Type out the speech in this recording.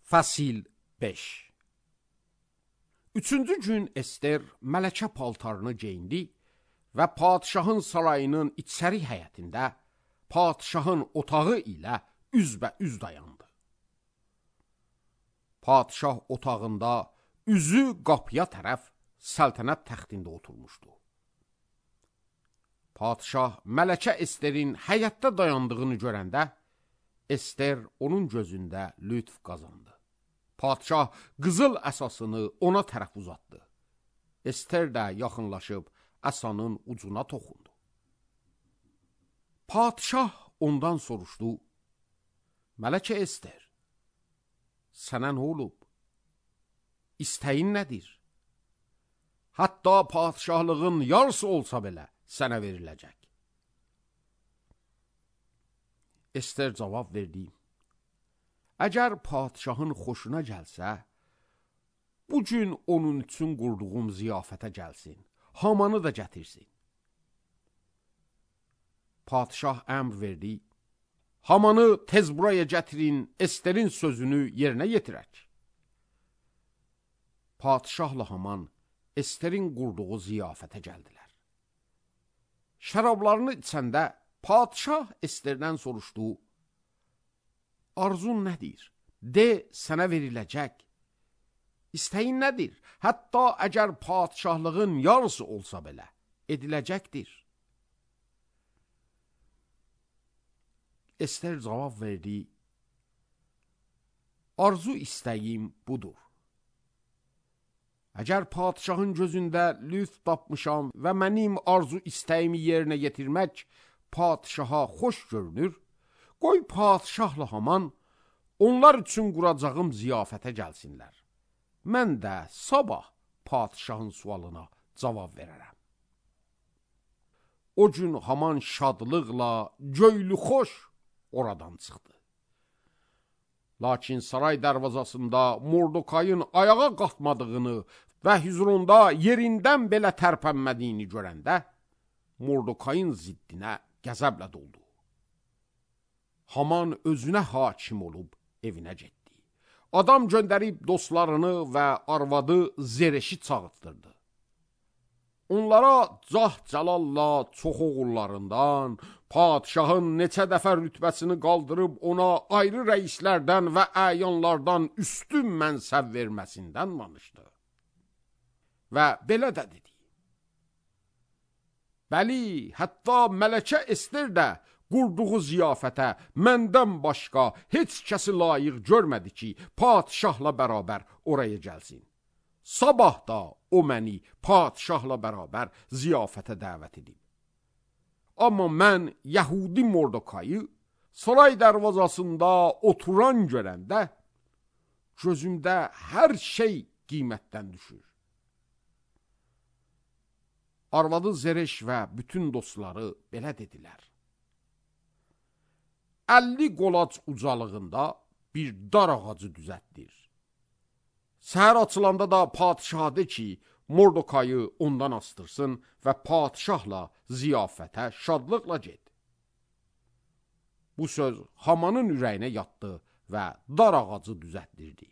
Fəsil 5. Üçüncü gün Ester mələkə paltarını geyindi və padişahın sarayının içəri həyətində padişahın otağı ilə üzbəüz dayandı. Padişah otağında üzü qapıya tərəf səltənət təxtində oturmuşdu. Padişah mələkə Esterin həyətdə dayandığını görəndə, Ester onun gözündə lütf qazandı. Padişah qızıl əsasını ona tərəf uzatdı. Ester də yaxınlaşıb əsanın ucuna toxundu. Padişah ondan soruşdu: Mələkə Ester, sənə nə olub? İstəyin nədir? Hətta padişahlığın yarısı olsa belə sənə veriləcək. Ester cavab verdi: Əgər padişahın xoşuna gəlsə, bu gün onun üçün qurduğum ziyafətə gəlsin, Hamanı da gətirsin. Padişah əmr verdi: Hamanı tez buraya gətirin, Esterin sözünü yerinə yetirək. Padişahla Haman Esterin qurduğu ziyafətə gəldilər. Şərablarını içəndə padişah Esterdən soruşdu: Arzun nədir? De, sənə veriləcək. İstəyin nədir? Hətta əgər padişahlığın yarısı olsa belə ediləcəkdir. Ester cavab verdi: Arzu istəyim budur. Əgər padişahın gözündə lütf tapmışam və mənim arzu istəyimi yerinə yetirmək padişaha xoş görünür, qoy padişahla Haman onlar üçün quracağım ziyafətə gəlsinlər. Mən də sabah padişahın sualına cavab verərəm. O gün Haman şadlıqla, göylü xoş oradan çıxdı. Lakin saray dərvazasında Mordokayın ayağa qalxmadığını və hüzurunda yerindən belə tərpənmədiyini görəndə, Mordokayın ziddinə qəzəblə doldu. Haman özünə hakim olub evinə getdi. Adam göndərib dostlarını və arvadı Zereşi çağırtdırdı. Onlara cah-cəlalla çox oğullarından, padişahın neçə dəfə rütbəsini qaldırıb ona ayrı rəislərdən və əyanlardan üstün mənsəb verməsindən danışdı. Və belə də dedi: Bəli, hətta mələkə Ester də qurduğu ziyafətə məndən başqa heç kəsi layiq görmədi ki, padişahla bərabər oraya gəlsin. Sabah da o məni padişahla bərabər ziyafətə dəvət edib. Amma mən Yəhudi Mordokayı saray dərvazasında oturan görəndə, gözümdə hər şey qiymətdən düşür. Arvadı Zereş və bütün dostları belə dedilər: 50 qolac ucalığında bir dar ağacı düzətdir. Səhər açılanda da padişah de ki, Mordokayı ondan astırsın və padişahla ziyafətə şadlıqla get. Bu söz Hamanın ürəyinə yatdı və dar ağacı düzətdirdi.